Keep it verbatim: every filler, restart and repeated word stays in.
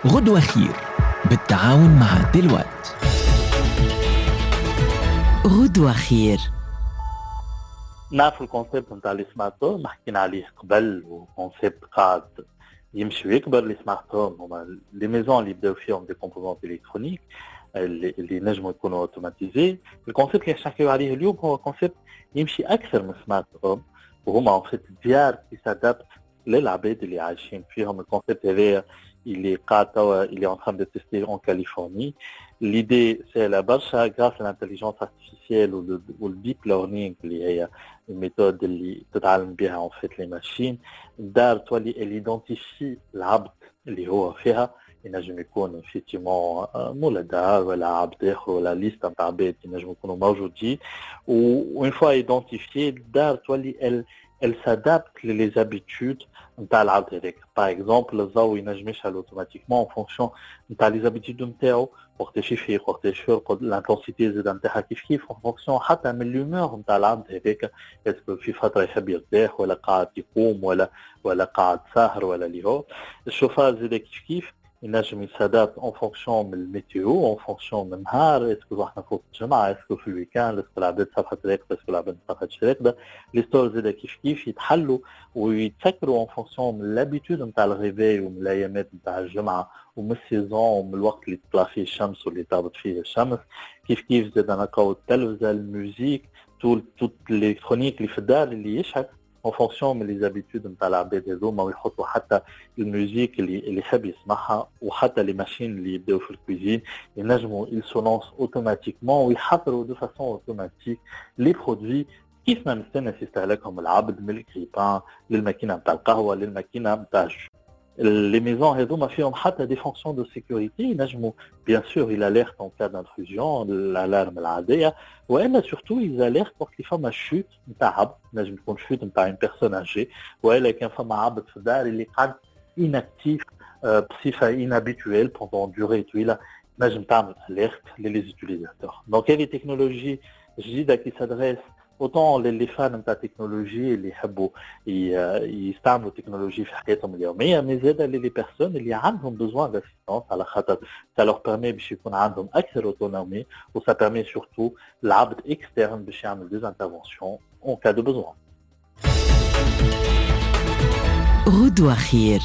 غدوة خير بالتعاون مع دلوقت. غدوة خير. نعرفوا ال concept نتاع les smart homes، حكينا عليه قبل، و concept قاعد يمشي ويكبر. les smart homes هما les maisons اللي يبداو فيهم des composants électroniques اللي, اللي نجموا يكونوا automatisés. ال concept اللي نحكيو عليه اليوم هو concept يمشي اكثر من smart home، وهما en fait ديار qui s'adaptent للعباد اللي عايشين فيهم. ال concept هذايا اللي قاعد توا اللي en train de tester en Californie. L'idée سهلة برشا، grâce à l'intelligence artificielle وال deep learning اللي هي ال méthode اللي تتعلم بها en fait les machines. الدار تولي elle identifie العبد اللي هو فيها، ينجم يكون effectivement مولا دار ولا عبد اخر ولا liste نتاع عباد ينجم يكونوا موجودين. و une fois identifiée، الدار تولي elle elle s'adapte les habitudes نتاع العبد هذاك. par exemple الضوء ينجم يشعل automatiquement en fonction نتاع les habitudes نتاعو، وقتاش يفيق، وقتاش يرقد. l'intensité زاد نتاعها كيف كيف en fonction حتى من l'humeur نتاع العبد هذاك، est-ce que في فترة يحب يرتاح ولا قاعد يقوم ولا ولا قاعد ساهر ولا اللي هو. الشوفاج زاد كيف كيف ينجم ي s'adapte en fonction من ال météo، en fonction من النهار، est-ce que احنا فوق الجمعه، est-ce que في ال week-end، est-ce que العباد صبحت راقده، est-ce que العباد ما صبحتش راقده. les stores زاد كيف كيف يتحلوا ويتسكروا en fonction من l'habitude نتاع ال réveil ومن الايامات نتاع الجمعة ومن ال saison ومن الوقت اللي تطلع فيه الشمس واللي تهبط فيه الشمس. كيف كيف زاد نلقاو التلفزه، ال musique، tout toute l'électronique اللي في الدار اللي يشعل en fonction من les habitudes نتاع العباد هذوما، ويحطوا حتى ال musique اللي اللي يحب يسمعها. وحتى les machines اللي يبداو في ال cuisine ينجموا ils se lancent automatiquement ويحضروا de façon automatique les produits كيف ما مستنس يستهلكهم العبد، من ال grille-pain للماكينه نتاع القهوة للماكينه نتاع ال jus. les maisons هذوما فيهم حتى des fonctions de sécurité، ينجموا bien sûr ils alertent en cas d'intrusion، l'alarme العاديه، والا surtout ils alertent وقت اللي فما chute نتاع عبد، نجم تكون chute نتاع une personne âgée، والا كان فما عبد في الدار اللي قعد inactif بصفة inhabituelle pendant durée طويله، نجم تعمل alerte les utilisateurs. donc هذه تكنولوجي جديدة qui s'adresse autant les fans نتاع التكنولوجي اللي يحبوا يستعملوا التكنولوجي في حياتهم اليوميه، mais زاد les personnes اللي عندهم besoin d'assistance، على خاطر ça leur permet باش يكون عندهم اكثر autonomie، و ça permet surtout العبد externe باش يعمل des interventions en cas de besoin. غدوة خير.